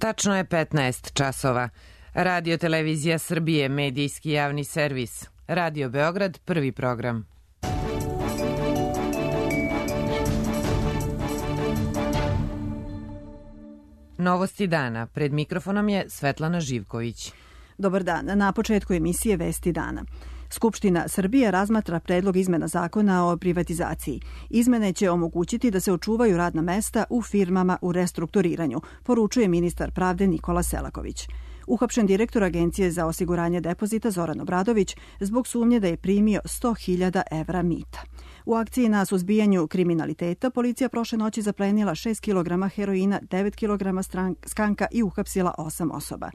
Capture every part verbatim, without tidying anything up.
Tačno je petnaest časova. Radio Televizija Srbije, medijski javni servis. Radio Beograd, prvi program. Novosti dana. Pred mikrofonom je Svetlana Živković. Dobar dan. Na početku emisije Vesti dana. Skupština Srbije razmatra predlog izmena zakona o privatizaciji. Izmene će omogućiti da se očuvaju radna mesta u firmama u restrukturiranju, poručuje ministar pravde Nikola Selaković. Uhapšen direktor Agencije za osiguranje depozita Zoran Obradović zbog sumnje da je primio sto hiljada evra mita. U akciji na suzbijanju kriminaliteta policija prošle noći zaplenila šest kilograma heroina, devet kilograma skanka i uhapsila osam osoba.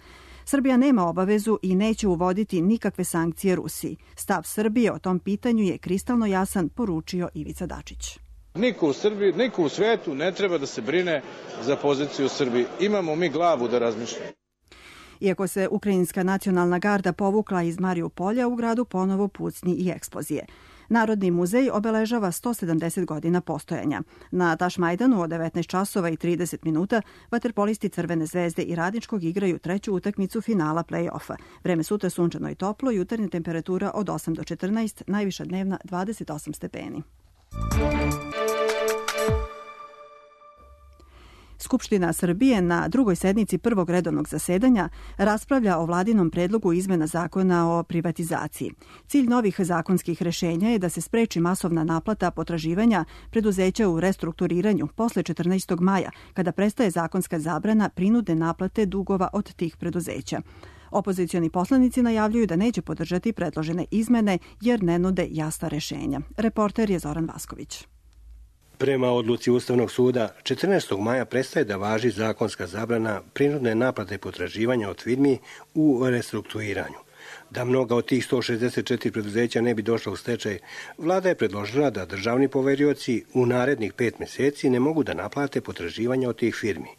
Srbija nema obavezu i neće uvoditi nikakve sankcije Rusiji. Stav Srbije o tom pitanju je kristalno jasan, poručio Ivica Dačić. Niko u Srbiji, niko u svetu ne treba da se brine za poziciju u Srbiji. Imamo mi glavu da razmišljamo. Iako se Ukrajinska nacionalna garda povukla iz Mariupolja, u gradu ponovo pucnji i eksplozije. Narodni muzej obeležava sto sedamdeset godina postojanja. Na Tašmajdanu od devetnaest časova i trideset minuta vaterpolisti Crvene zvezde i Radničkog igraju treću utakmicu finala play-offa. Vreme sutra sunčano i toplo, jutarnja temperatura od osam do četrnaest, najviša dnevna dvadeset osam stepeni. Skupština Srbije na drugoj sednici prvog redovnog zasedanja raspravlja o vladinom predlogu izmena zakona o privatizaciji. Cilj novih zakonskih rešenja je da se spreči masovna naplata potraživanja preduzeća u restrukturiranju posle četrnaestog maja, kada prestaje zakonska zabrana prinudne naplate dugova od tih preduzeća. Opozicioni poslanici najavljuju da neće podržati predložene izmene jer ne nude jasna rešenja. Reporter je Zoran Vasković. Prema odluci Ustavnog suda, četrnaestog maja prestaje da važi zakonska zabrana prinudne naplate potraživanja od firmi u restrukturiranju. Da mnoga od tih sto šezdeset četiri preduzeća ne bi došla u stečaj, vlada je predložila da državni poverioci u narednih pet meseci ne mogu da naplate potraživanja od tih firmi.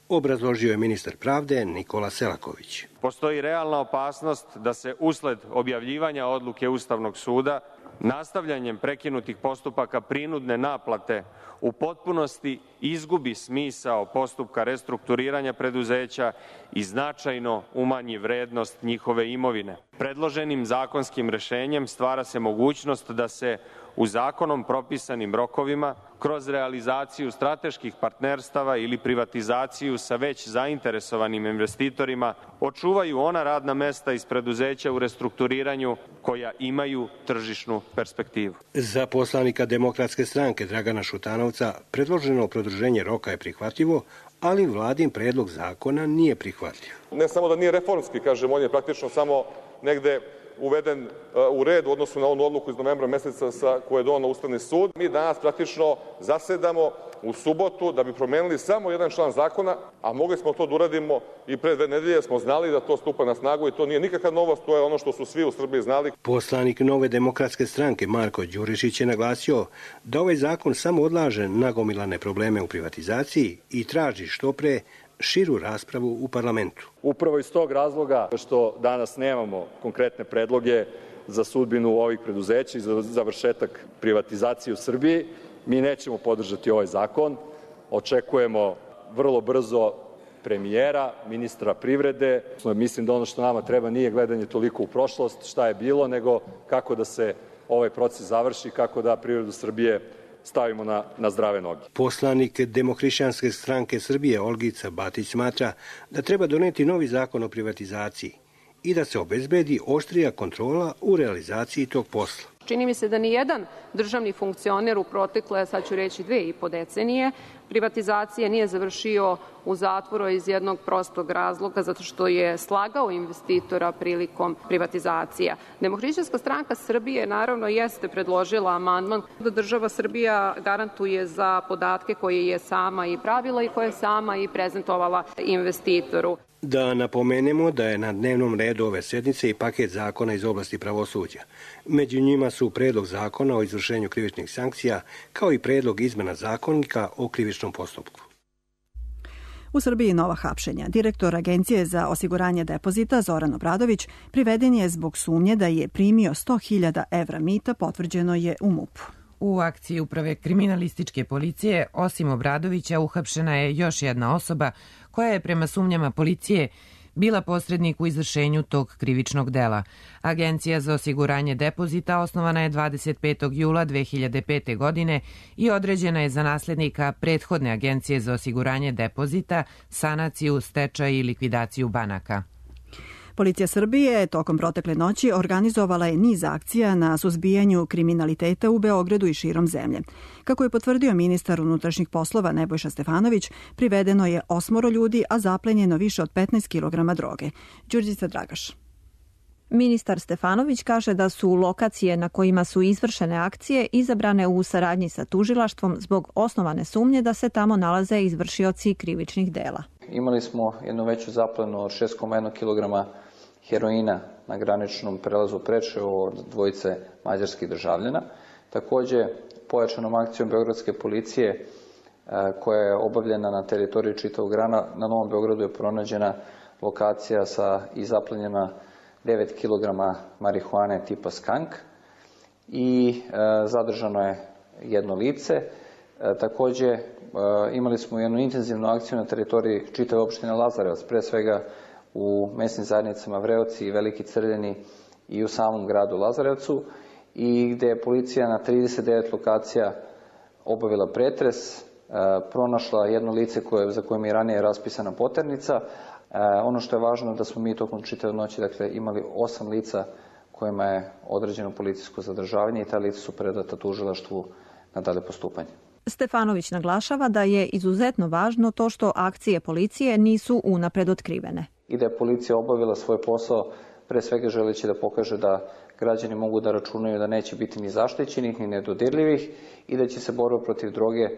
Obrazložio je ministar pravde Nikola Selaković. Postoji realna opasnost da se usled objavljivanja odluke Ustavnog suda nastavljanjem prekinutih postupaka prinudne naplate u potpunosti izgubi smisao postupka restrukturiranja preduzeća i značajno umanji vrednost njihove imovine. Predloženim zakonskim rešenjem stvara se mogućnost da se u zakonom propisanim rokovima kroz realizaciju strateških partnerstava ili privatizaciju sa već zainteresovanim investitorima očuvaju ona radna mesta iz preduzeća u restrukturiranju koja imaju tržišnu perspektivu. Za poslanika Demokratske stranke Dragana Šutanovca predloženo produženje roka je prihvatljivo, ali vladin predlog zakona nije prihvatljiv. Ne samo da nije reformski, kažem, on je praktično samo negde uveden u red u odnosu na onu odluku iz novembra meseca sa koje je doneo Ustavni sud. Mi danas praktično zasedamo u subotu da bi promenili samo jedan član zakona, a mogli smo to da uradimo i pre dve nedelje, smo znali da to stupa na snagu i to nije nikakva novost, to je ono što su svi u Srbiji znali. Poslanik Nove demokratske stranke Marko Đurišić je naglasio da ovaj zakon samo odlaže nagomilane probleme u privatizaciji i traži što pre širu raspravu u parlamentu. Upravo iz tog razloga što danas nemamo konkretne predloge za sudbinu ovih preduzeća i za završetak privatizacije u Srbiji, mi nećemo podržati ovaj zakon. Očekujemo vrlo brzo premijera, ministra privrede. Mislim da ono što nama treba nije gledanje toliko u prošlost, šta je bilo, nego kako da se ovaj proces završi, kako da privredu Srbije stavimo na, na zdrave noge. Poslanik Demohrišćanske stranke Srbije Olgica Batić smatra da treba doneti novi zakon o privatizaciji i da se obezbedi oštrija kontrola u realizaciji tog posla. Čini mi se da ni jedan državni funkcioner u protekle, sad ću reći, dve i po decenije privatizacije nije završio u zatvoru iz jednog prostog razloga, zato što je slagao investitora prilikom privatizacija. Demohrišćanska stranka Srbije naravno jeste predložila amandman da država Srbija garantuje za podatke koje je sama i pravila i koje je sama i prezentovala investitoru. Da napomenemo da je na dnevnom redu ove sednice i paket zakona iz oblasti pravosuđa. Među njima su predlog zakona o izvršenju krivičnih sankcija, kao i predlog izmena zakonika o krivičnom postupku. U Srbiji nova hapšenja. Direktor Agencije za osiguranje depozita Zoran Obradović priveden je zbog sumnje da je primio sto hiljada evra mita, potvrđeno je u MUP-u. U akciji Uprave kriminalističke policije, osim Obradovića, uhapšena je još jedna osoba koja je prema sumnjama policije bila posrednik u izvršenju tog krivičnog dela. Agencija za osiguranje depozita osnovana je dvadeset petog jula dve hiljade pete. godine i određena je za naslednika prethodne Agencije za osiguranje depozita, sanaciju, stečaj i likvidaciju banaka. Policija Srbije tokom protekle noći organizovala je niz akcija na suzbijanju kriminaliteta u Beogradu i širom zemlje. Kako je potvrdio ministar unutrašnjih poslova Nebojša Stefanović, privedeno je osmoro ljudi, a zaplenjeno više od petnaest kilograma droge. Đurđica Dragaš. Ministar Stefanović kaže da su lokacije na kojima su izvršene akcije izabrane u saradnji sa tužilaštvom zbog osnovane sumnje da se tamo nalaze izvršioci krivičnih dela. Imali smo jednu veću zaplenu od šest zarez jedan kilograma heroina na graničnom prelazu Preševo od dvojice mađarskih državljana. Takođe, pojačanom akcijom beogradske policije koja je obavljena na teritoriji čitavog grada, na Novom Beogradu je pronađena lokacija sa i zaplenjena devet kilograma marihuane tipa skank i e, zadržano je jedno lice. E, takođe, e, imali smo jednu intenzivnu akciju na teritoriji čitave opštine Lazarevac, pre svega u mesnim zajednicama Vreoci i Veliki Crljeni i u samom gradu Lazarevcu, i gde je policija na trideset devet lokacija obavila pretres, e, pronašla jedno lice koje, za kojim je ranije raspisana poternica. E, ono što je važno da smo mi tokom čitave noći dakle, imali osam lica kojima je određeno policijsko zadržavanje i ta lica su predata tužilaštvu na dalje postupanje. Stefanović naglašava da je izuzetno važno to što akcije policije nisu unapred otkrivene. I da je policija obavila svoj posao, pre svega želeći da pokaže da građani mogu da računaju da neće biti ni zaštićenih, ni nedodirljivih i da će se borba protiv droge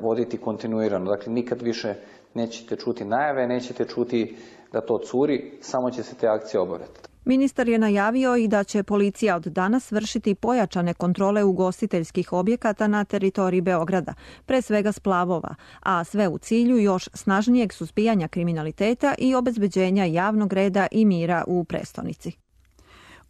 voditi kontinuirano. Dakle, nikad više nećete čuti najave, nećete čuti da to curi, samo će se te akcije obavljati. Ministar je najavio i da će policija od danas vršiti pojačane kontrole ugostiteljskih objekata na teritoriji Beograda, pre svega splavova, a sve u cilju još snažnijeg suzbijanja kriminaliteta i obezbeđenja javnog reda i mira u prestonici.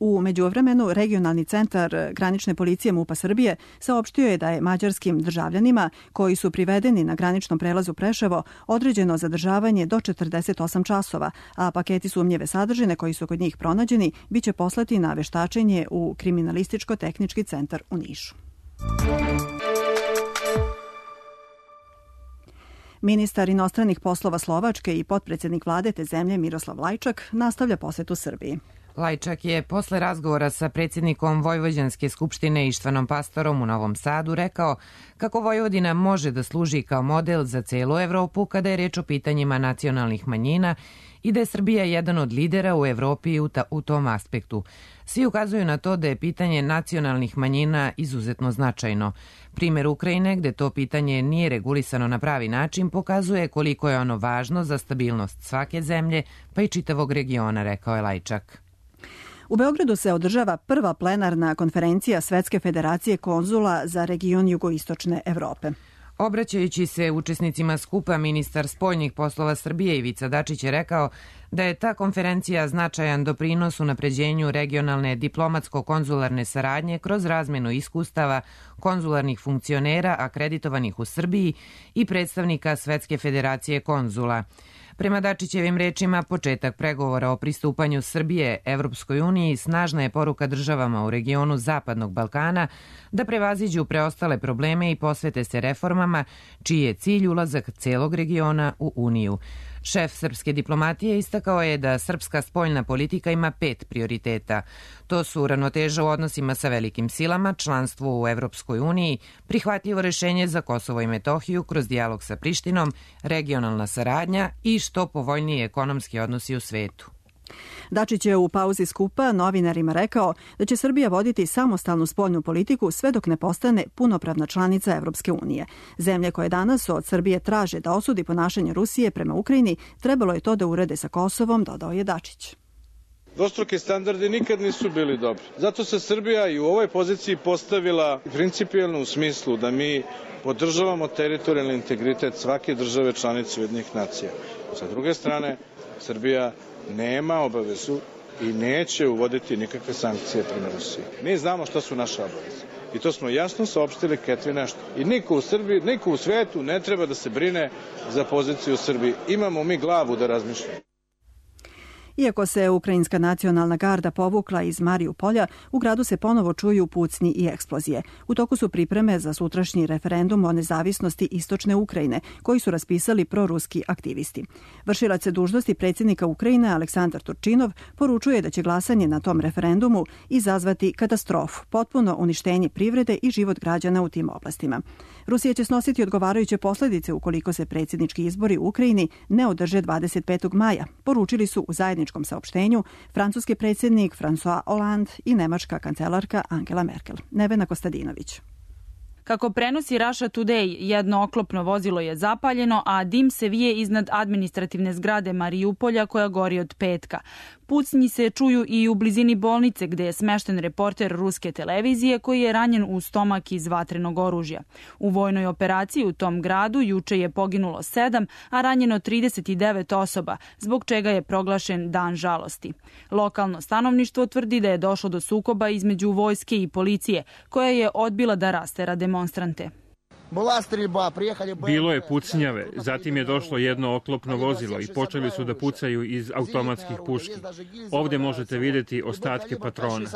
U međuvremenu, regionalni centar granične policije MUP-a Srbije saopštio je da je mađarskim državljanima koji su privedeni na graničnom prelazu Preševo određeno zadržavanje do četrdeset osam časova, a paketi sumnjive sadržine koji su kod njih pronađeni biće poslati na veštačenje u Kriminalističko-tehnički centar u Nišu. Ministar inostranih poslova Slovačke i potpredsjednik vlade te zemlje Miroslav Lajčak nastavlja posetu Srbiji. Lajčak je posle razgovora sa predsjednikom Vojvođanske skupštine Ištvanom Pastorom u Novom Sadu rekao kako Vojvodina može da služi kao model za celu Evropu kada je reč o pitanjima nacionalnih manjina i da je Srbija jedan od lidera u Evropi u, ta, u tom aspektu. Svi ukazuju na to da je pitanje nacionalnih manjina izuzetno značajno. Primer Ukrajine, gde to pitanje nije regulisano na pravi način, pokazuje koliko je ono važno za stabilnost svake zemlje, pa i čitavog regiona, rekao je Lajčak. U Beogradu se održava prva plenarna konferencija Svetske federacije konzula za region jugoistočne Evrope. Obraćajući se učesnicima skupa, ministar spoljnih poslova Srbije Ivica Dačić je rekao da je ta konferencija značajan doprinos unapređenju regionalne diplomatsko-konzularne saradnje kroz razmenu iskustava konzularnih funkcionera akreditovanih u Srbiji i predstavnika Svetske federacije konzula. Prema Dačićevim rečima, početak pregovora o pristupanju Srbije Evropskoj uniji snažna je poruka državama u regionu Zapadnog Balkana da prevaziđu preostale probleme i posvete se reformama, čiji je cilj ulazak celog regiona u Uniju. Šef srpske diplomatije istakao je da srpska spoljna politika ima pet prioriteta. To su ravnoteža u odnosima sa velikim silama, članstvo u Evropskoj uniji, prihvatljivo rešenje za Kosovo i Metohiju kroz dijalog sa Prištinom, regionalna saradnja i što povoljniji ekonomski odnosi u svetu. Dačić je u pauzi skupa novinarima rekao da će Srbija voditi samostalnu spoljnu politiku sve dok ne postane punopravna članica Evropske unije. Zemlje koje danas od Srbije traže da osudi ponašanje Rusije prema Ukrajini, trebalo je to da urede sa Kosovom, dodao je Dačić. Dvostruki standardi nikad nisu bili dobri. Zato se Srbija i u ovoj poziciji postavila principijelno u smislu da mi podržavamo teritorijalni integritet svake države članice Ujedinjenih nacija. Sa druge strane, Srbija nema obavezu i neće uvoditi nikakve sankcije prema Rusiji. Mi znamo šta su naše obaveze. i to smo jasno saopštili Catherine Ashton. I niko u Srbiji, niko u svetu ne treba da se brine za poziciju u Srbiji. Imamo mi glavu da razmišljamo. Iako se Ukrajinska nacionalna garda povukla iz Marijupolja, u gradu se ponovo čuju pucnji i eksplozije. U toku su pripreme za sutrašnji referendum o nezavisnosti istočne Ukrajine, koji su raspisali proruski aktivisti. Vršilac dužnosti predsjednika Ukrajine Aleksandar Turčinov poručuje da će glasanje na tom referendumu izazvati katastrofu, potpuno uništenje privrede i život građana u tim oblastima. Rusija će snositi odgovarajuće posljedice ukoliko se predsjednički izbori u Ukrajini ne održe dvadeset petog maja, poručili su u zajedničkom saopštenju francuski predsjednik François Hollande i nemačka kancelarka Angela Merkel. Nevena Kostadinović. Kako prenosi Russia Today, jedno oklopno vozilo je zapaljeno, a dim se vije iznad administrativne zgrade Marijupolja koja gori od petka. Pucnji se čuju i u blizini bolnice gde je smešten reporter ruske televizije koji je ranjen u stomak iz vatrenog oružja. U vojnoj operaciji u tom gradu juče je poginulo sedam, a ranjeno trideset devet osoba, zbog čega je proglašen dan žalosti. Lokalno stanovništvo tvrdi da je došlo do sukoba između vojske i policije, koja je odbila da rastera demonstrante. Bilo je pucnjave, zatim je došlo jedno oklopno vozilo i počeli su da pucaju iz automatskih puški. Ovdje možete vidjeti ostatke patrona.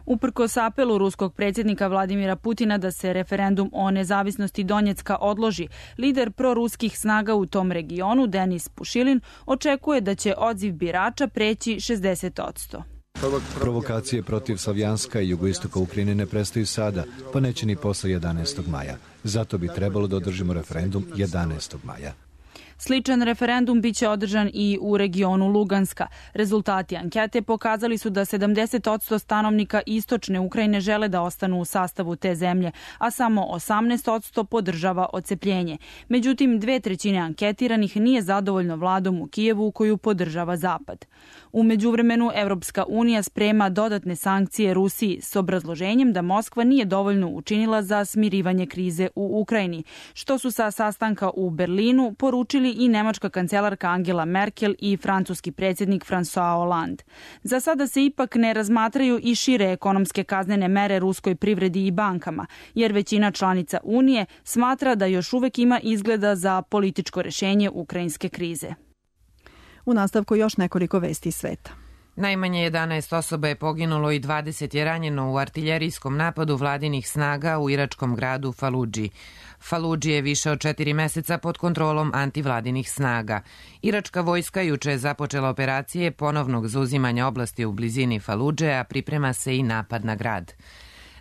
Uprkos apelu ruskog predsjednika Vladimira Putina da se referendum o nezavisnosti Donjecka odloži, lider proruskih snaga u tom regionu, Denis Pušilin, očekuje da će odziv birača preći šezdeset posto. Provokacije protiv Savjanska i jugoistoka Ukrajine ne prestaju sada, pa neće ni posle jedanaestog maja. Zato bi trebalo da održimo referendum jedanaestog maja. Sličan referendum biće održan i u regionu Luganska. Rezultati ankete pokazali su da sedamdeset posto stanovnika istočne Ukrajine žele da ostanu u sastavu te zemlje, a samo osamnaest posto podržava odcepljenje. Međutim, dve trećine anketiranih nije zadovoljno vladom u Kijevu koju podržava Zapad. U međuvremenu Evropska unija sprema dodatne sankcije Rusiji s obrazloženjem da Moskva nije dovoljno učinila za smirivanje krize u Ukrajini, što su sa sastanka u Berlinu poručili i nemačka kancelarka Angela Merkel i francuski predsjednik François Hollande. Za sada se ipak ne razmatraju i šire ekonomske kaznene mere ruskoj privredi i bankama, jer većina članica Unije smatra da još uvek ima izgleda za političko rešenje ukrajinske krize. U nastavku još nekoliko vesti iz sveta. Najmanje jedanaest osoba je poginulo i dvadeset je ranjeno u artiljerijskom napadu vladinih snaga u iračkom gradu Faludži. Faludži je više od četiri meseca pod kontrolom antivladinih snaga. Iračka vojska juče je započela operacije ponovnog zauzimanja oblasti u blizini Faludže, a priprema se i napad na grad.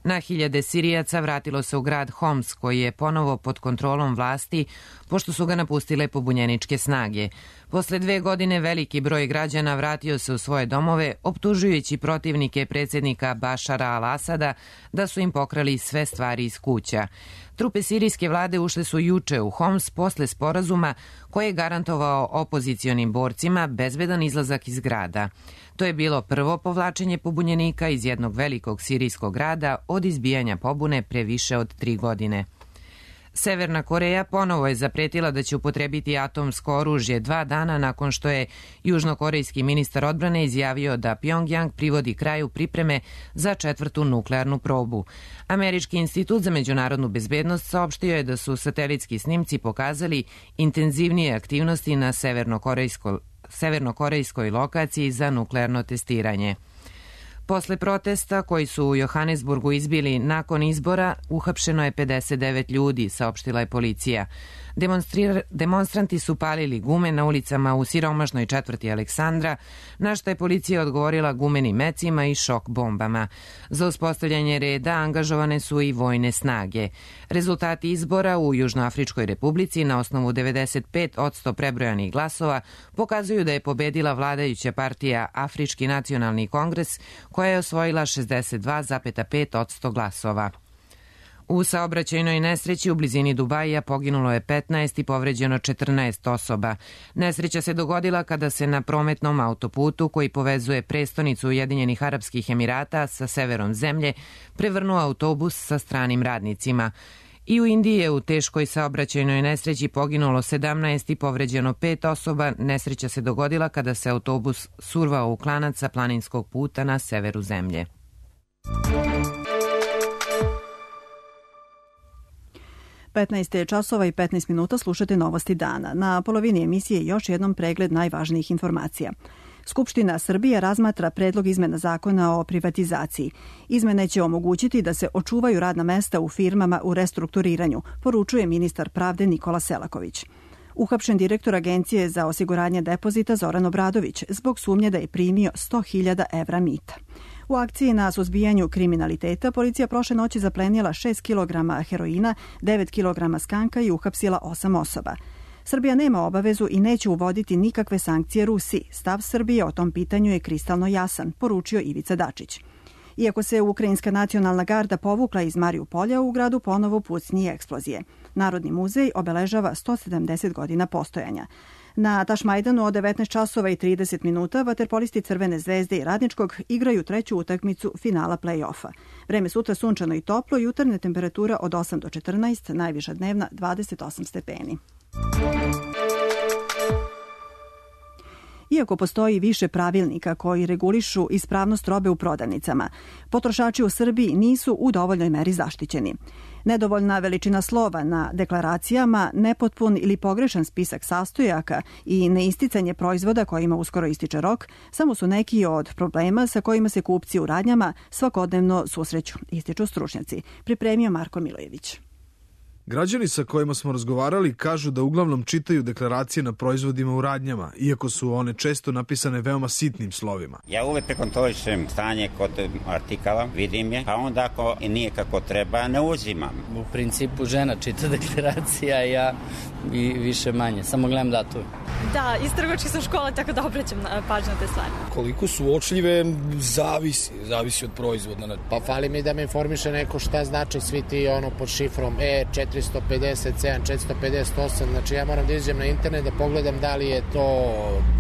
Na hiljade Sirijaca vratilo se u grad Homs, koji je ponovo pod kontrolom vlasti, pošto su ga napustile pobunjeničke snage. Posle dve godine veliki broj građana vratio se u svoje domove, optužujući protivnike predsjednika Bašara al-Asada da su im pokrali sve stvari iz kuća. Trupe sirijske vlade ušle su juče u Homs posle sporazuma koji je garantovao opozicionim borcima bezbedan izlazak iz grada. To je bilo prvo povlačenje pobunjenika iz jednog velikog sirijskog grada od izbijanja pobune pre više od tri godine. Severna Koreja ponovo je zapretila da će upotrebiti atomsko oružje dva dana nakon što je južnokorejski ministar odbrane izjavio da Pjongjang privodi kraju pripreme za četvrtu nuklearnu probu. Američki institut za međunarodnu bezbednost saopštio je da su satelitski snimci pokazali intenzivnije aktivnosti na severnokorejskoj severnokorejskoj lokaciji za nuklearno testiranje. Posle protesta koji su u Johannesburgu izbili nakon izbora, uhapšeno je pedeset devet ljudi, saopštila je policija. Demonstranti su palili gume na ulicama u siromašnoj četvrti Aleksandra, na što je policija odgovorila gumenim mecima i šok bombama. Za uspostavljanje reda angažovane su i vojne snage. Rezultati izbora u Južnoafričkoj republici na osnovu devedeset pet posto prebrojanih glasova pokazuju da je pobedila vladajuća partija Afrički nacionalni kongres, koja je osvojila šezdeset dva zarez pet posto glasova. U saobraćajnoj nesreći u blizini Dubaija poginulo je petnaest i povređeno četrnaest osoba. Nesreća se dogodila kada se na prometnom autoputu koji povezuje prestonicu Ujedinjenih Arapskih Emirata sa severom zemlje prevrnuo autobus sa stranim radnicima. I u Indiji je u teškoj saobraćajnoj nesreći poginulo sedamnaest i povređeno pet osoba. Nesreća se dogodila kada se autobus survao u klanac sa planinskog puta na severu zemlje. petnaest časova i petnaest minuta slušate novosti dana. Na polovini emisije još jednom pregled najvažnijih informacija. Skupština Srbije razmatra predlog izmena zakona o privatizaciji. Izmene će omogućiti da se očuvaju radna mesta u firmama u restrukturiranju, poručuje ministar pravde Nikola Selaković. Uhapšen direktor Agencije za osiguranje depozita Zoran Obradović zbog sumnje da je primio sto hiljada evra mita. U akciji na suzbijanju kriminaliteta policija prošle noći zaplenila šest kilograma heroina, devet kilograma skanka i uhapsila osam osoba. Srbija nema obavezu i neće uvoditi nikakve sankcije Rusiji. Stav Srbije o tom pitanju je kristalno jasan, poručio Ivica Dačić. Iako se Ukrajinska nacionalna garda povukla iz Mariupolja, u gradu ponovo pucnji eksplozije. Narodni muzej obeležava sto sedamdeset godina postojanja. Na Tašmajdanu od devetnaest časova i trideset minuta vaterpolisti Crvene zvezde i Radničkog igraju treću utakmicu finala play-offa. Vreme sutra sunčano i toplo, jutarnja temperatura od osam do četrnaest, najviša dnevna dvadeset osam stepeni. Iako postoji više pravilnika koji regulišu ispravnost robe u prodavnicama, potrošači u Srbiji nisu u dovoljnoj meri zaštićeni. Nedovoljna veličina slova na deklaracijama, nepotpun ili pogrešan spisak sastojaka i neisticanje proizvoda kojima uskoro ističe rok samo su neki od problema sa kojima se kupci u radnjama svakodnevno susreću, ističu stručnjaci. Pripremio Marko Milojević. Građani sa kojima smo razgovarali kažu da uglavnom čitaju deklaracije na proizvodima u radnjama, iako su one često napisane veoma sitnim slovima. Ja uvek prekontrolišem stanje kod artikala, vidim je, a onda ako nije kako treba, ne uzimam. U principu žena čita deklaracija, ja i više manje, samo gledam datove. Da, iz trgovačke sam škola, tako da obraćam pažnju na te stvari. Koliko su uočljive, zavisi, zavisi od proizvoda. Pa fali mi da me informiše neko šta znači svi ti ono pod šifrom E četiristo pedeset sedam, četiristo pedeset osam, znači ja moram da izađem na internet da pogledam da li je to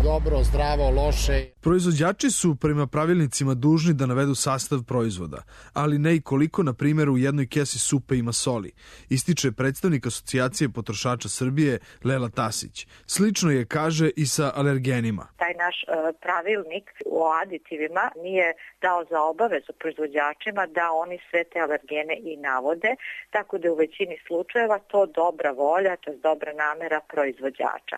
dobro, zdravo, loše. Proizvođači su prema pravilnicima dužni da navedu sastav proizvoda, ali ne i koliko, na primjer, u jednoj kesi supe ima soli, ističe predstavnik Asocijacije potrošača Srbije Lela Tasić. Slično je, kaže, i sa alergenima. Taj naš uh, pravilnik o aditivima nije dao za obavezu proizvođačima da oni sve te alergene i navode, tako da u većini slučajeva to dobra volja, to je dobra namera proizvođača.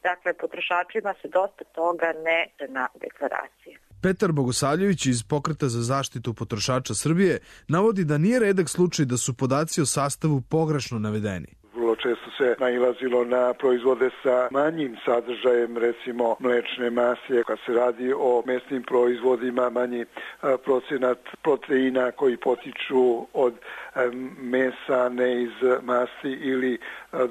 Dakle, potrošačima se dosta toga ne na deklaracije. Petar Bogosavljević iz Pokreta za zaštitu potrošača Srbije navodi da nije redak slučaj da su podaci o sastavu pogrešno navedeni. Vrlo često se nailazilo na proizvode sa manjim sadržajem, recimo mlečne mase, kad se radi o mesnim proizvodima, manji procenat proteina koji potiču od mesa, ne iz masti ili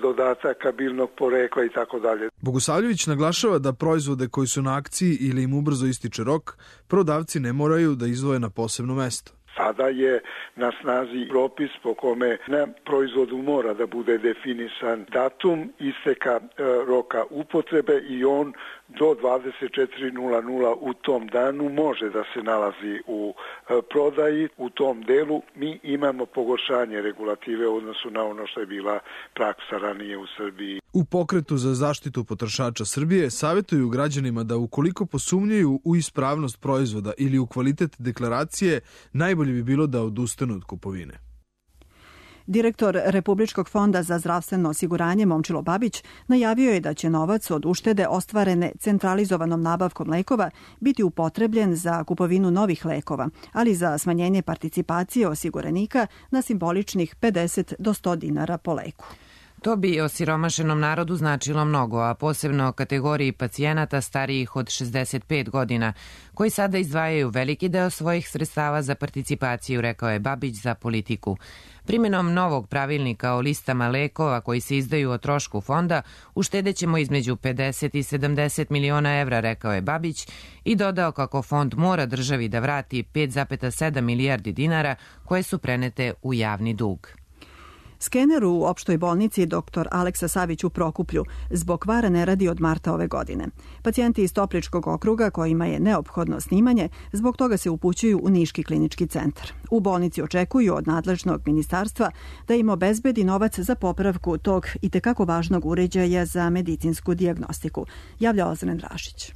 dodataka biljnog porekla i tako dalje. Bogosavljević naglašava da proizvode koji su na akciji ili im ubrzo ističe rok, prodavci ne moraju da izdvoje na posebno mesto. Sada je na snazi propis po kome na proizvodu mora da bude definisan datum isteka e, roka upotrebe i on do dvadeset četiri nula nula u tom danu može da se nalazi u e, prodaji. U tom delu mi imamo pogoršanje regulative u odnosu na ono što je bila praksa ranije u Srbiji. U Pokretu za zaštitu potrošača Srbije savjetuju građanima da ukoliko posumnjaju u ispravnost proizvoda ili u kvalitet deklaracije, najbolje bi bilo da odustanu od kupovine. Direktor Republičkog fonda za zdravstveno osiguranje Momčilo Babić najavio je da će novac od uštede ostvarene centralizovanom nabavkom lekova biti upotrebljen za kupovinu novih lekova, ali za smanjenje participacije osiguranika na simboličnih pedeset do sto dinara po leku. To bi osiromašenom narodu značilo mnogo, a posebno kategoriji pacijenata starijih od šezdeset pet godina, koji sada izdvajaju veliki deo svojih sredstava za participaciju, rekao je Babić za Politiku. Primjenom novog pravilnika o listama lekova koji se izdaju o trošku fonda, uštedećemo između pedeset i sedamdeset miliona evra, rekao je Babić, i dodao kako fond mora državi da vrati pet zarez sedam milijardi dinara koje su prenete u javni dug. Skener u opštoj bolnici doktor Aleksa Savić u Prokuplju zbog kvara ne radi od marta ove godine. Pacijenti iz Topličkog okruga kojima je neophodno snimanje, zbog toga se upućuju u Niški klinički centar. U bolnici očekuju od nadležnog ministarstva da im obezbedi novac za popravku tog itekako važnog uređaja za medicinsku dijagnostiku, javlja Ozren Drašić.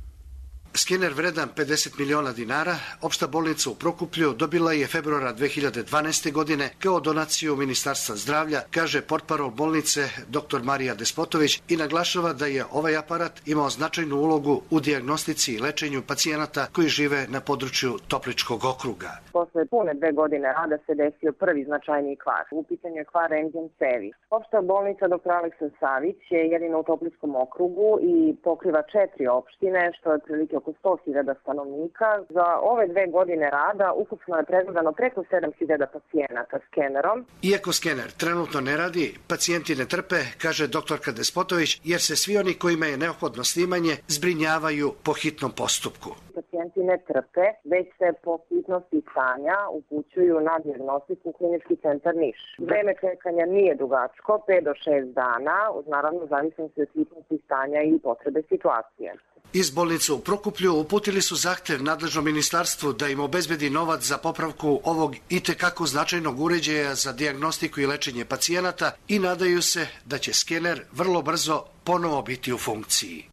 Skener vredan pedeset miliona dinara, opšta bolnica u Prokuplju dobila je februara dve hiljade dvanaeste. godine kao donaciju Ministarstva zdravlja, kaže portparol bolnice dr Marija Despotović i naglašava da je ovaj aparat imao značajnu ulogu u dijagnostici i lečenju pacijenata koji žive na području Topličkog okruga. Posle pune dve godine rada se desio prvi značajniji kvar. U pitanju je kvar rendgen cevi. Opšta bolnica dr Aleksa Savić je jedina u Topličkom okrugu i pokriva četiri opštine, što je otprilike oko sto hiljada stanovnika. Za ove dve godine rada ukupno je pregledano preko sedam hiljada pacijenata skenerom. Iako skener trenutno ne radi, pacijenti ne trpe, kaže doktorka Despotović, jer se svi oni kojima je neophodno snimanje zbrinjavaju po hitnom postupku. Pacijenti ne trpe, već se po hitnosti stanja upućuju na dijagnostiku u Klinički centar Niš. Vreme čekanja nije dugačko, pet do šest dana, uz naravno zavisnosti od hitnosti stanja i potrebe situacije. Iz bolnice u Prokuplju uputili su zahtev nadležnom ministarstvu da im obezbedi novac za popravku ovog itekako značajnog uređaja za dijagnostiku i lečenje pacijenata i nadaju se da će skener vrlo brzo ponovo biti u funkciji.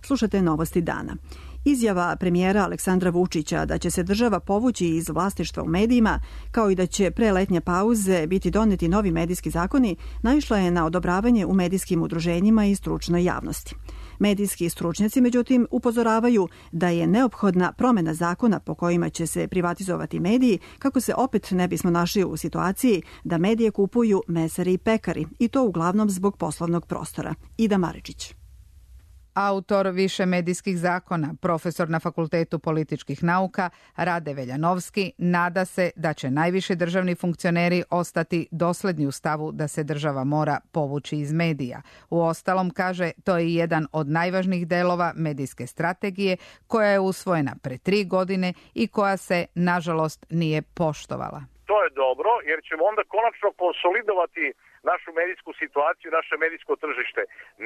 Slušate novosti dana. Izjava premijera Aleksandra Vučića da će se država povući iz vlasništva u medijima, kao i da će pre letnje pauze biti doneti novi medijski zakoni, naišla je na odobravanje u medijskim udruženjima i stručnoj javnosti. Medijski stručnjaci, međutim, upozoravaju da je neophodna promena zakona po kojima će se privatizovati mediji, kako se opet ne bismo našli u situaciji da medije kupuju mesari i pekari, i to uglavnom zbog poslovnog prostora. Ida Maričić. Autor više medijskih zakona, profesor na Fakultetu političkih nauka Rade Veljanovski, nada se da će najviši državni funkcioneri ostati dosledni u stavu da se država mora povući iz medija. Uostalom, kaže, to je jedan od najvažnijih delova medijske strategije koja je usvojena pre tri godine i koja se, nažalost, nije poštovala. To je dobro, jer ćemo onda konačno konsolidovati našu medijsku situaciju, naše medijsko tržište.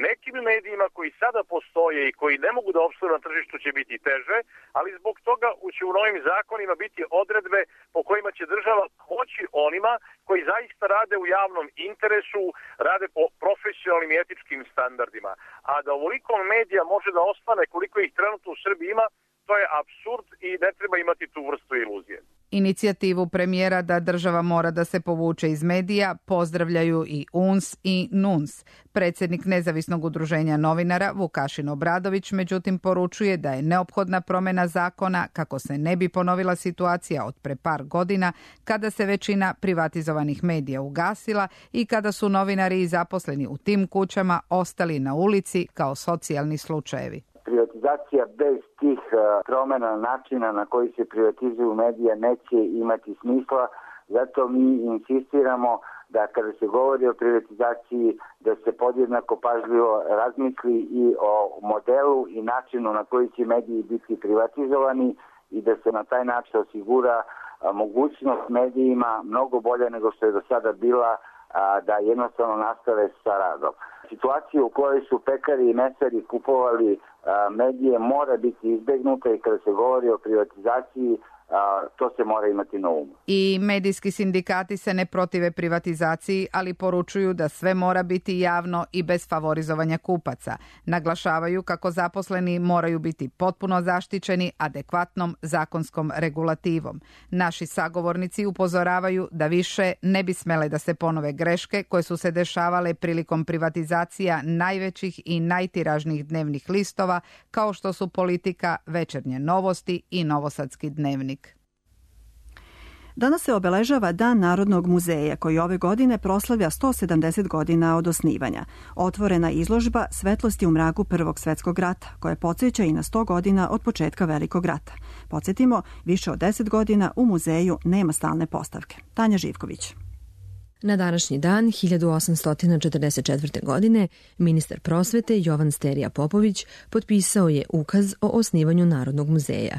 Nekim medijima koji sada postoje i koji ne mogu da opstanu na tržištu će biti teže, ali zbog toga će u novim zakonima biti odredbe po kojima će država pomoći onima koji zaista rade u javnom interesu, rade po profesionalnim i etičkim standardima. A da ovoliko medija može da ostane koliko ih trenutno u Srbiji ima, to je apsurd i ne treba imati tu vrstu iluzije. Inicijativu premijera da država mora da se povuče iz medija pozdravljaju i U N S i N U N S. Predsjednik Nezavisnog udruženja novinara Vukašin Obradović međutim poručuje da je neophodna promjena zakona kako se ne bi ponovila situacija od pre par godina kada se većina privatizovanih medija ugasila i kada su novinari i zaposleni u tim kućama ostali na ulici kao socijalni slučajevi. Privatizacija bez tih promjena načina na koji se privatizuju medija neće imati smisla, zato mi insistiramo da kada se govori o privatizaciji da se podjednako pažljivo razmisli i o modelu i načinu na koji će mediji biti privatizovani i da se na taj način osigura mogućnost medijima mnogo bolje nego što je do sada bila da jednostavno nastave sa radom. Situacija u kojoj su pekari i mesari kupovali medije mora biti izbegnuta i kada se govori o privatizaciji to se mora imati na umu. I medijski sindikati se ne protive privatizaciji, ali poručuju da sve mora biti javno i bez favorizovanja kupaca. Naglašavaju kako zaposleni moraju biti potpuno zaštićeni adekvatnom zakonskom regulativom. Naši sagovornici upozoravaju da više ne bi smele da se ponove greške koje su se dešavale prilikom privatizacija najvećih i najtiražnijih dnevnih listova, kao što su Politika, Večernje novosti i Novosadski dnevnik. Danas se obeležava Dan Narodnog muzeja, koji ove godine proslavlja sto sedamdeset godina od osnivanja. Otvorena izložba Svetlosti u mraku Prvog svjetskog rata, koja podsjeća i na sto godina od početka Velikog rata. Podsjetimo, više od deset godina u muzeju nema stalne postavke. Tanja Živković. Na današnji dan, hiljadu osamsto četrdeset četvrte. godine, ministar prosvete Jovan Sterija Popović potpisao je ukaz o osnivanju Narodnog muzeja.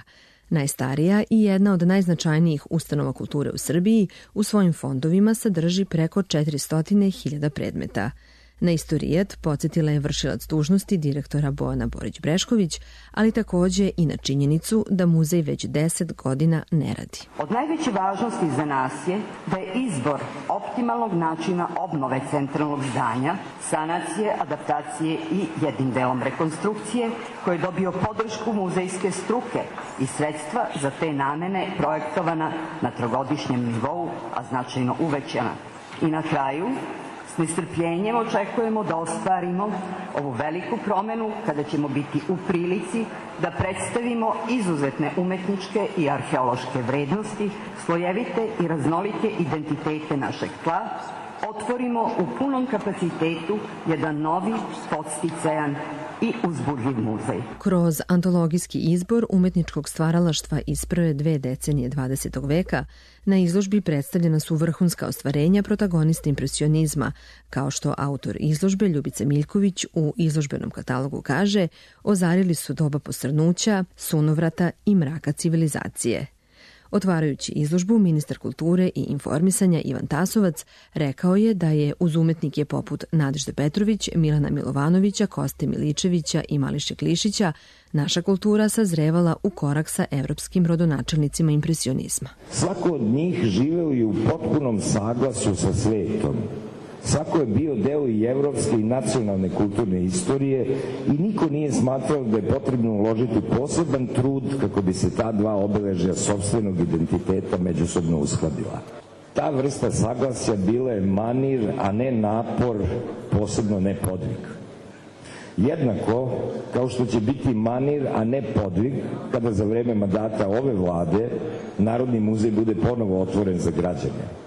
Najstarija i jedna od najznačajnijih ustanova kulture u Srbiji, u svojim fondovima sadrži preko četiristo hiljada predmeta. Na istorijat podsjetila je vršilac dužnosti direktora Bojana Borić-Brešković, ali takođe i na činjenicu da muzej već deset godina ne radi. Od najveće važnosti za nas je da je izbor optimalnog načina obnove centralnog zdanja, sanacije, adaptacije i jednim delom rekonstrukcije, koji je dobio podršku muzejske struke i sredstva za te namene projektovana na trogodišnjem nivou, a značajno uvećana. I na kraju, s nestrpljenjem očekujemo da ostvarimo ovu veliku promenu kada ćemo biti u prilici da predstavimo izuzetne umetničke i arheološke vrednosti, slojevite i raznolike identitete našeg tla, otvorimo u punom kapacitetu jedan novi, podsticajan i uzbudljiv muzej. Kroz antologijski izbor umetničkog stvaralaštva iz prve dve decenije dvadesetog veka na izložbi predstavljena su vrhunska ostvarenja protagonista impresionizma, kao što autor izložbe Ljubica Miljković u izložbenom katalogu kaže, ozarili su doba posrnuća, sunovrata i mraka civilizacije. Otvarajući izložbu, ministar kulture i informisanja Ivan Tasovac rekao je da je uz umetnike poput Nadežde Petrović, Milana Milovanovića, Koste Miličevića i Mališe Klišića naša kultura sazrevala u korak sa evropskim rodonačelnicima impresionizma. Svako od njih živeo je u potpunom saglasu sa svetom. Svako je bio deo i evropske i nacionalne kulturne istorije i niko nije smatrao da je potrebno uložiti poseban trud kako bi se ta dva obeležja sopstvenog identiteta međusobno uskladila. Ta vrsta saglasja bila je manir, a ne napor, posebno ne podvig. Jednako kao što će biti manir, a ne podvig, kada za vreme mandata ove vlade Narodni muzej bude ponovo otvoren za građane.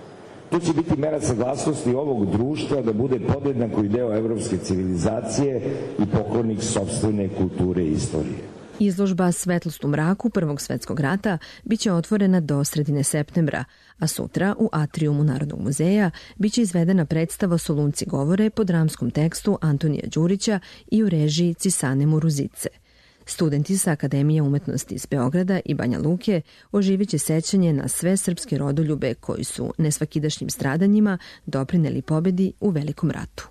To će biti mera saglasnosti ovog društva da bude podjednako i deo evropske civilizacije i pokornik sopstvene kulture i istorije. Izložba Svetlost u mraku Prvog svetskog rata biće otvorena do sredine septembra, a sutra u atrijumu Narodnog muzeja biće izvedena predstava Solunci govore po dramskom tekstu Antonija Đurića i u režiji Cisane Muruzice. Studenti sa Akademije umetnosti iz Beograda i Banja Luke oživiće sećanje na sve srpske rodoljube koji su nesvakidašnjim stradanjima doprineli pobedi u Velikom ratu.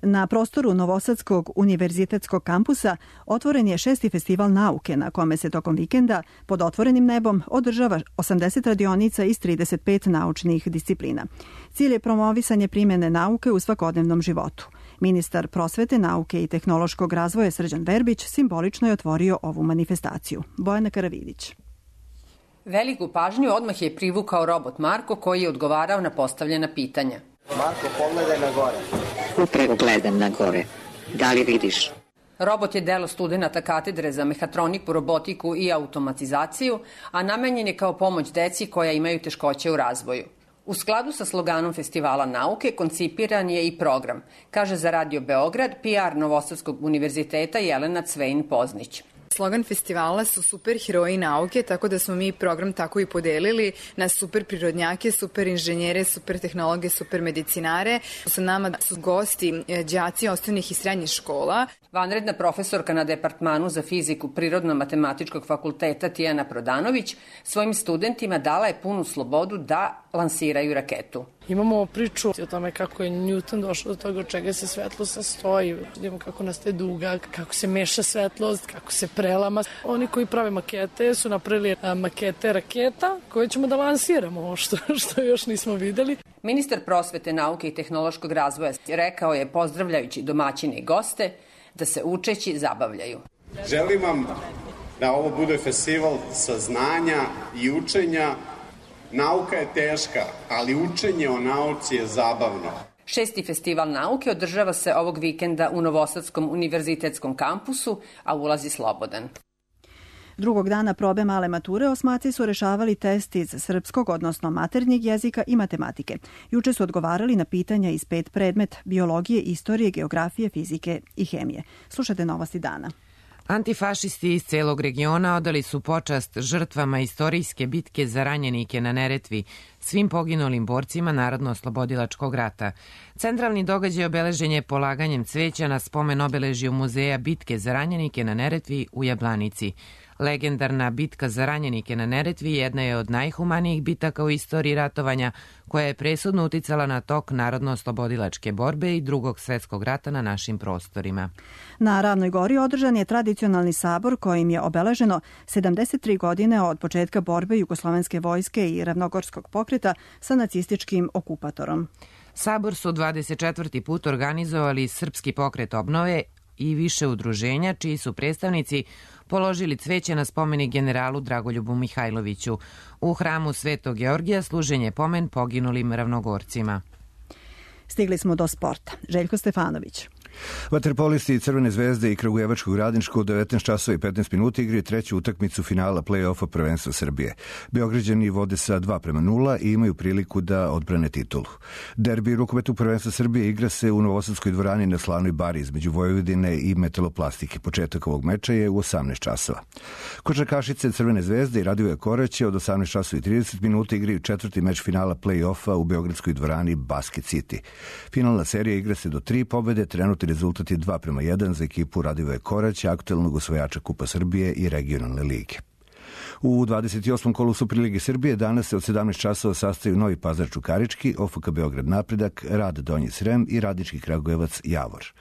Na prostoru Novosadskog univerzitetskog kampusa otvoren je šesti festival nauke na kome se tokom vikenda pod otvorenim nebom održava osamdeset radionica iz trideset pet naučnih disciplina. Cilj je promovisanje primjene nauke u svakodnevnom životu. Ministar prosvete, nauke i tehnološkog razvoja Srđan Verbić simbolično je otvorio ovu manifestaciju. Bojana Karavidić. Veliku pažnju odmah je privukao robot Marko koji je odgovarao na postavljena pitanja. Marko, pogledaj na gore. Upravo gledam na gore. Da li vidiš? Robot je delo studenta katedre za mehatroniku, robotiku i automatizaciju, a namenjen je kao pomoć deci koja imaju teškoće u razvoju. U skladu sa sloganom Festivala nauke koncipiran je i program, kaže za Radio Beograd P R Novosadskog univerziteta Jelena Cvejin-Poznić. Slogan festivala su superheroji nauke, tako da smo mi program tako i podelili na super prirodnjake, super inženjere, super tehnologe, super medicinare. Sa nama su gosti đaci osnovnih i srednjih škola. Vanredna profesorka na Departmanu za fiziku Prirodno-matematičkog fakulteta Tijana Prodanović svojim studentima dala je punu slobodu da lansiraju raketu. Imamo priču o tome kako je Newton došao do toga od čega se svetlo sastoji. Vidimo kako nastaje duga, kako se meša svetlost, kako se prelama. Oni koji prave makete su napravili makete raketa koje ćemo da lansiramo, što, što još nismo videli. Ministar prosvete, nauke i tehnološkog razvoja rekao je, pozdravljajući domaćine i goste, da se učeći zabavljaju. Želim vam da ovo bude festival saznanja i učenja. Nauka je teška, ali učenje o nauci je zabavno. Šesti festival nauke održava se ovog vikenda u Novosadskom univerzitetskom kampusu, a ulaz je slobodan. Drugog dana probe male mature osmaci su rešavali test iz srpskog, odnosno maternjeg jezika i matematike. Juče su odgovarali na pitanja iz pet predmeta: biologije, istorije, geografije, fizike i hemije. Slušajte novosti dana. Antifašisti iz celog regiona odali su počast žrtvama istorijske bitke za ranjenike na Neretvi, svim poginulim borcima Narodno-oslobodilačkog rata. Centralni događaj obeležen je polaganjem cveća na spomen obeležju Muzeja bitke za ranjenike na Neretvi u Jablanici. Legendarna bitka za ranjenike na Neretvi jedna je od najhumanijih bitaka u istoriji ratovanja, koja je presudno uticala na tok narodno-oslobodilačke borbe i drugog svetskog rata na našim prostorima. Na Ravnoj Gori održan je tradicionalni sabor kojim je obeleženo sedamdeset tri godine od početka borbe Jugoslovenske vojske i Ravnogorskog pokreta sa nacističkim okupatorom. Sabor su dvadeset četvrti put organizovali Srpski pokret obnove i više udruženja, čiji su predstavnici položili cveće na spomenik generalu Dragoljubu Mihajloviću. U hramu Svetog Georgija služen je pomen poginulim Ravnogorcima. Stigli smo do sporta. Željko Stefanović. Vaterpolisti Crvene zvezde i Kragujevačkog Radničkog u devetnaest časova i petnaest minuta igraju treću utakmicu finala play-offa prvenstva Srbije. Beograđani vode sa dva prema nula i imaju priliku da odbrane titulu. Derbi rukometu prvenstva Srbije igra se u Novosadskoj dvorani na Slavnoj bari između Vojvodine i Metaloplastike. Početak ovog meča je u osamnaest časova. Košarkašice Crvene zvezde i Radivoje Koraće od osamnaest časova i trideset minuta igraju četvrti meč finala play-offa u Beogradskoj dvorani Basket City. Finalna serija igra se do tri pobede, trenutni rezultat je dva prema jedan za ekipu Radivoje Koraća, aktuelnog osvajača Kupa Srbije i regionalne lige. U dvadeset osmom kolu Superlige Srbije danas se od sedamnaest časova sastaju Novi Pazar Čukarički, O F K Beograd Napredak, Rad Donji Srem i Radnički Kragujevac Javor.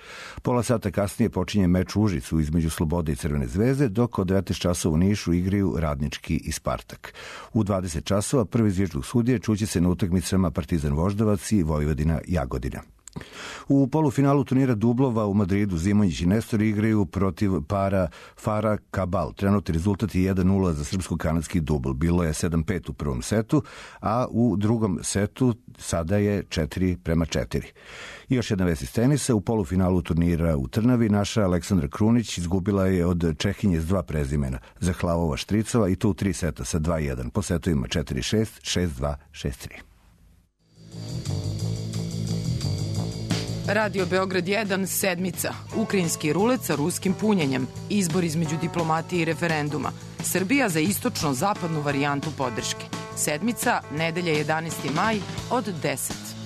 Pola sata kasnije počinje meč u Užicu između Slobode i Crvene zvezde, dok od devetnaest časova u Nišu igraju Radnički i Spartak. U dvadeset časova prvi zvižduk sudije čuće se na utakmicama Partizan Voždovac i Vojvodina Jagodina. U polufinalu turnira dublova u Madridu Zimonjić i Nestor igraju protiv para Fara Kabal. Trenutni rezultat je jedan nula za srpsko-kanadski dubl. Bilo je sedam pet u prvom setu, a u drugom setu sada je četiri prema četiri. I još jedna vest iz tenisa. U polufinalu turnira u Trnavi naša Aleksandra Krunić izgubila je od Čehinje s dva prezimena, Zahlavova Štricova, i to u tri seta sa dva jedan. Po setovima četiri šest, šest dva, šest tri. Radio Beograd jedan, sedmica. Ukrajinski rulet sa ruskim punjenjem. Izbor između diplomatije i referenduma. Srbija za istočno-zapadnu varijantu podrške. Sedmica, nedelja jedanaesti maj od deset.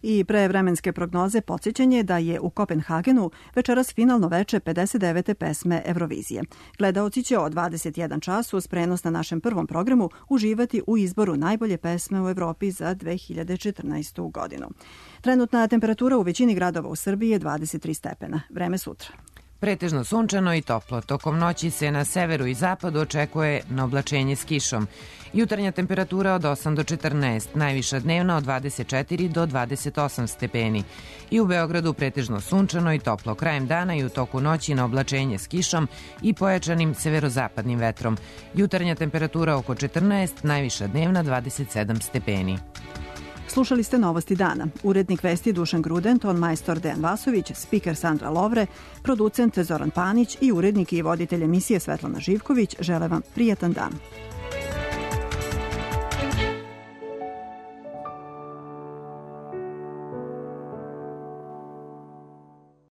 I pre vremenske prognoze podsjećanje da je u Kopenhagenu večeras finalno veče pedeset devete pesme Eurovizije. Gledaoci će od dvadeset jedan čas uz prenos na našem prvom programu uživati u izboru najbolje pesme u Evropi za dve hiljade četrnaestu. godinu. Trenutna temperatura u većini gradova u Srbiji je dvadeset tri stepena. Vreme sutra. Pretežno sunčano i toplo. Tokom noći se na severu i zapadu očekuje na oblačenje s kišom. Jutarnja temperatura od osam do četrnaest, najviša dnevna od dvadeset četiri do dvadeset osam stepeni. I u Beogradu pretežno sunčano i toplo. Krajem dana i u toku noći na oblačenje s kišom i pojačanim severozapadnim vetrom. Jutarnja temperatura oko četrnaest, najviša dnevna dvadeset sedam stepeni. Slušali ste Novosti dana. Urednik vesti Dušan Gruden, ton majstor Dejan Vasović, spiker Sandra Lovre, producent Zoran Panić i urednik i voditelj emisije Svetlana Živković žele vam prijatan dan.